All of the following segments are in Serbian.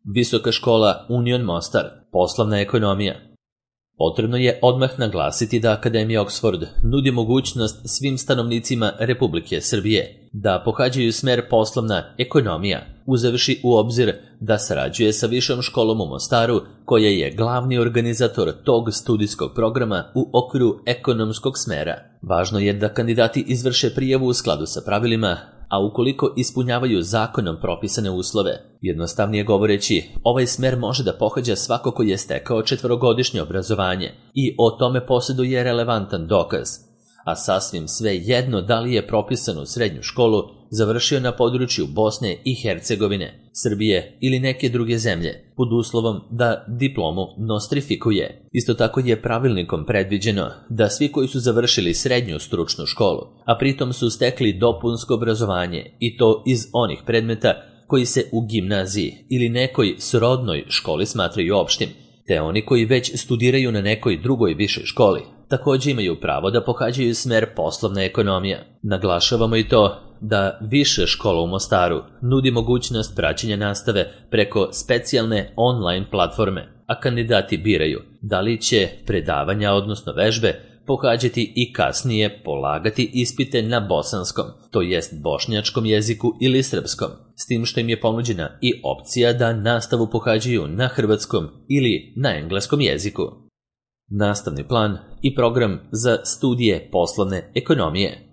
Visoka škola Union Mostar, poslovna ekonomija. Potrebno je odmah naglasiti da Akademija Oxford nudi mogućnost svim stanovnicima Republike Srbije da pohađaju smer poslovna ekonomija, uzevši u obzir da sarađuje sa Višom školom u Mostaru, koja je glavni organizator tog studijskog programa u okviru ekonomskog smera. Važno je da kandidati izvrše prijavu u skladu sa pravilima, a ukoliko ispunjavaju zakonom propisane uslove. Jednostavnije govoreći, ovaj smer može da pohađa svako ko je stekao 4-godišnje obrazovanje i o tome posjeduje relevantan dokaz, a sasvim sve jedno da li je propisanu srednju školu završio na području Bosne i Hercegovine, Srbije ili neke druge zemlje, pod uslovom da diplomu nostrifikuje. Isto tako je pravilnikom predviđeno da svi koji su završili srednju stručnu školu, a pritom su stekli dopunsko obrazovanje i to iz onih predmeta koji se u gimnaziji ili nekoj srodnoj školi smatraju opštim, te oni koji već studiraju na nekoj drugoj višoj školi, također imaju pravo da pohađaju smer poslovna ekonomija. Naglašavamo i to da Viša škola u Mostaru nudi mogućnost praćenja nastave preko specijalne online platforme, a kandidati biraju da li će predavanja, odnosno vežbe, pohađati i kasnije polagati ispite na bosanskom, to jest bošnjačkom jeziku ili srpskom, s tim što im je ponuđena i opcija da nastavu pohađaju na hrvatskom ili na engleskom jeziku. Nastavni plan i program za studije poslovne ekonomije.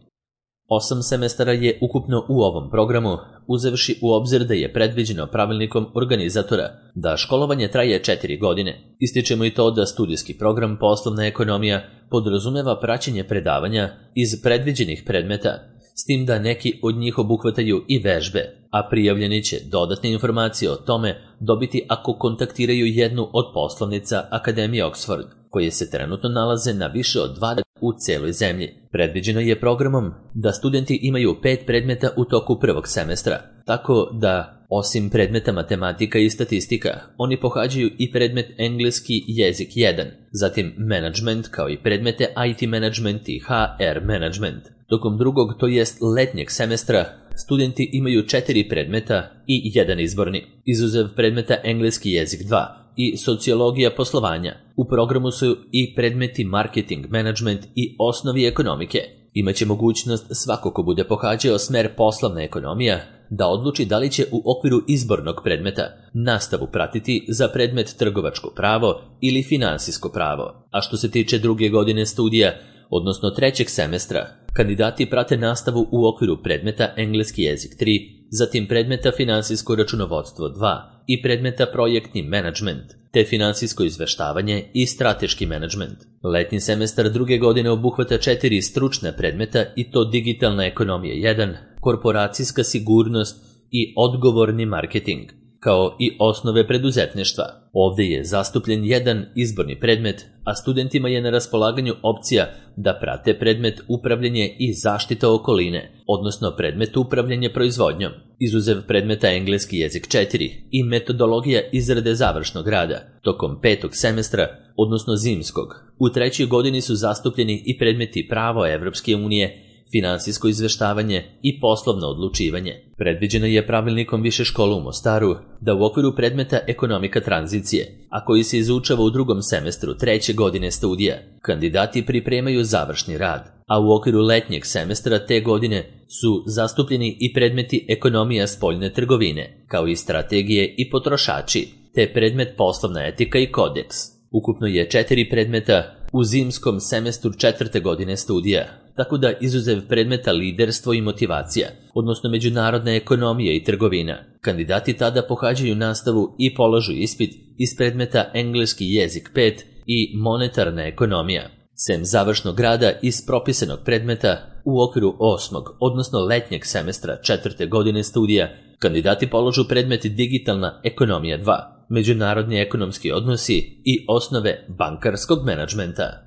8 semestara je ukupno u ovom programu, uzevši u obzir da je predviđeno pravilnikom organizatora da školovanje traje 4 godine. Ističemo i to da studijski program poslovna ekonomija podrazumeva praćenje predavanja iz predviđenih predmeta, s tim da neki od njih obuhvataju i vežbe, a prijavljeni će dodatne informacije o tome dobiti ako kontaktiraju jednu od poslovnica Akademije Oxford, koje se trenutno nalaze na više od 20 u celoj zemlji. Predviđeno je programom da studenti imaju 5 predmeta u toku prvog semestra, tako da, osim predmeta matematika i statistika, oni pohađaju i predmet engleski jezik 1, zatim management kao i predmete IT management i HR management. Tokom drugog, to jest letnjeg semestra, studenti imaju 4 predmeta i 1 izborni, izuzev predmeta engleski jezik 2 i sociologija poslovanja. U programu su i predmeti marketing management i osnovi ekonomike. Imaće mogućnost svako ko bude pohađao smer poslovna ekonomija da odluči da li će u okviru izbornog predmeta nastavu pratiti za predmet trgovačko pravo ili finansijsko pravo. A što se tiče druge godine studija, odnosno 3. semestra, kandidati prate nastavu u okviru predmeta engleski jezik 3, zatim predmeta finansijsko računovodstvo 2 i predmeta projektni menadžment, te finansijsko izveštavanje i strateški menadžment. Letnji semestar druge godine obuhvata 4 stručne predmeta i to digitalna ekonomija 1, korporacijska sigurnost i odgovorni marketing, kao i osnove preduzetništva. Ovdje je zastupljen jedan izborni predmet, a studentima je na raspolaganju opcija da prate predmet upravljanje i zaštita okoline, odnosno predmet upravljanje proizvodnjom, izuzev predmeta engleski jezik 4 i metodologija izrade završnog rada. Tokom 5. semestra, odnosno zimskog, u 3. godini su zastupljeni i predmeti pravo Evropske unije, finansijsko izveštavanje i poslovno odlučivanje. Predviđeno je pravilnikom Više škole u Mostaru da u okviru predmeta ekonomika tranzicije, a koji se izučava u 2. semestru 3. godine studija, kandidati pripremaju završni rad, a u okviru letnjeg semestra te godine su zastupljeni i predmeti ekonomija spoljne trgovine, kao i strategije i potrošači, te predmet poslovna etika i kodeks. Ukupno je 4 predmeta u zimskom semestru 4. godine studija, tako da izuzev predmeta liderstvo i motivacija, odnosno međunarodna ekonomija i trgovina, kandidati tada pohađaju nastavu i polažu ispit iz predmeta engleski jezik 5 i monetarna ekonomija. Sem završnog rada iz propisanog predmeta, u okviru 8. odnosno letnjeg semestra 4. godine studija, kandidati polažu predmet digitalna ekonomija 2, međunarodni ekonomski odnosi i osnove bankarskog menadžmenta.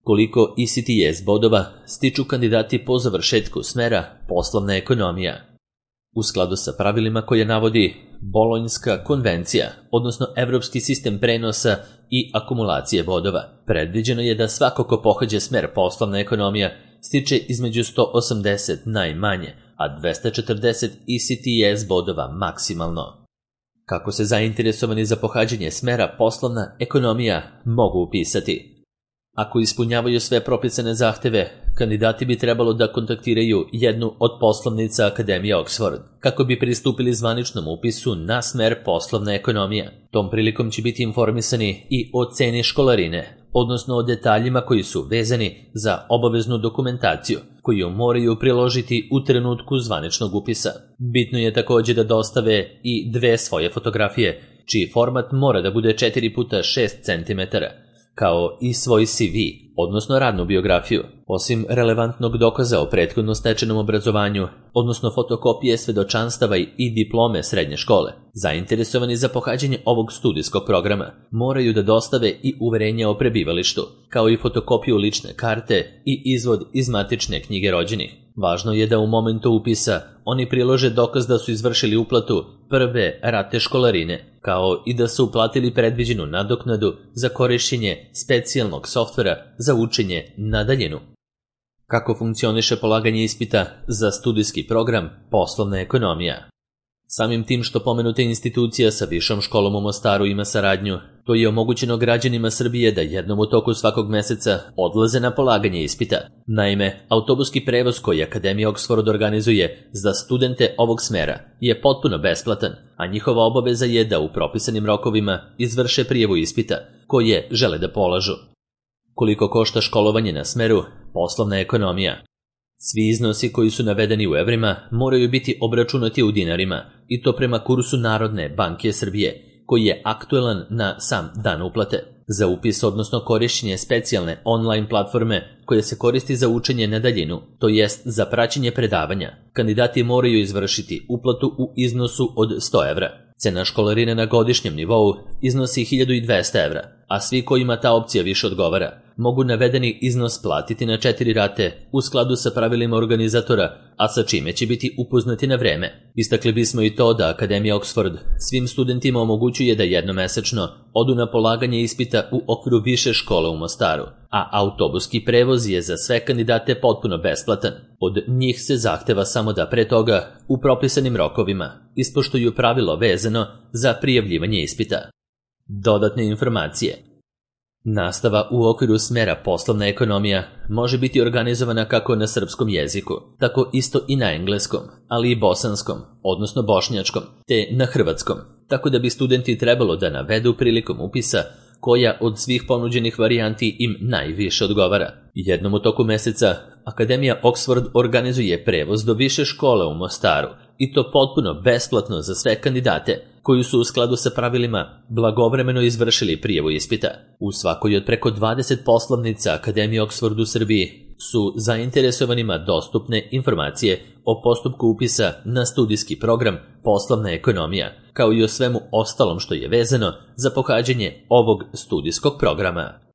Koliko ECTS bodova stiču kandidati po završetku smera poslovna ekonomija? U skladu sa pravilima koje navodi Bolonjska konvencija, odnosno Evropski sistem prenosa i akumulacije bodova, predviđeno je da svako ko pohađa smer poslovna ekonomija stiče između 180 najmanje, a 240 ECTS bodova maksimalno. Kako se zainteresovani za pohađanje smera poslovna ekonomija mogu upisati? Ako ispunjavaju sve propisane zahteve, kandidati bi trebalo da kontaktiraju jednu od poslovnica Akademije Oxford kako bi pristupili zvaničnom upisu na smer poslovna ekonomija. Tom prilikom će biti informisani i o ceni školarine, odnosno o detaljima koji su vezani za obaveznu dokumentaciju koju moraju priložiti u trenutku zvaničnog upisa. Bitno je također da dostave i 2 svoje fotografije, čiji format mora da bude 4x6 cm, kao i svoj CV, odnosno radnu biografiju. Osim relevantnog dokaza o prethodno stečenom obrazovanju, odnosno fotokopije svedočanstava i diplome srednje škole, zainteresovani za pohađanje ovog studijskog programa moraju da dostave i uverenje o prebivalištu, kao i fotokopiju lične karte i izvod iz matične knjige rođenih. Važno je da u momentu upisa oni prilože dokaz da su izvršili uplatu prve rate školarine, kao i da su uplatili predviđenu nadoknadu za korišćenje specijalnog softvera za učenje na daljinu. Kako funkcioniše polaganje ispita za studijski program poslovna ekonomija? Samim tim što pomenuta institucija sa Višom školom u Mostaru ima saradnju, to je omogućeno građanima Srbije da jednom u toku svakog meseca odlaze na polaganje ispita. Naime, autobuski prevoz koji Akademija Oxford organizuje za studente ovog smera je potpuno besplatan, a njihova obaveza je da u propisanim rokovima izvrše prijavu ispita koje žele da polažu. Koliko košta školovanje na smeru poslovna ekonomija? Svi iznosi koji su navedeni u evrima moraju biti obračunati u dinarima, i to prema kursu Narodne banke Srbije, koji je aktuelan na sam dan uplate. Za upis, odnosno korišćenje specijalne online platforme koja se koristi za učenje na daljinu, to jest za praćenje predavanja, kandidati moraju izvršiti uplatu u iznosu od 100 evra. Cena školarine na godišnjem nivou iznosi 1200 evra, a svi kojima ta opcija više odgovara mogu navedeni iznos platiti na 4 rate u skladu sa pravilima organizatora, a sa čime će biti upoznati na vreme. Istakli bismo i to da Akademija Oxford svim studentima omogućuje da jednomesečno odu na polaganje ispita u okviru više škole u Mostaru, a autobuski prevoz je za sve kandidate potpuno besplatan. Od njih se zahteva samo da pre toga, u propisanim rokovima, ispoštuju pravilo vezano za prijavljivanje ispita. Dodatne informacije. Nastava u okviru smera poslovna ekonomija može biti organizovana kako na srpskom jeziku, tako isto i na engleskom, ali i bosanskom, odnosno bošnjačkom, te na hrvatskom, tako da bi studenti trebalo da navedu prilikom upisa koja od svih ponuđenih varijanti im najviše odgovara. Jednom u toku meseca Akademija Oxford organizuje prevoz do više škole u Mostaru, i to potpuno besplatno za sve kandidate koji su u skladu sa pravilima blagovremeno izvršili prijavu ispita. U svakoj od preko 20 poslovnica Akademije Oxford u Srbiji su zainteresovanima dostupne informacije o postupku upisa na studijski program poslovna ekonomija, kao i o svemu ostalom što je vezano za pohađanje ovog studijskog programa.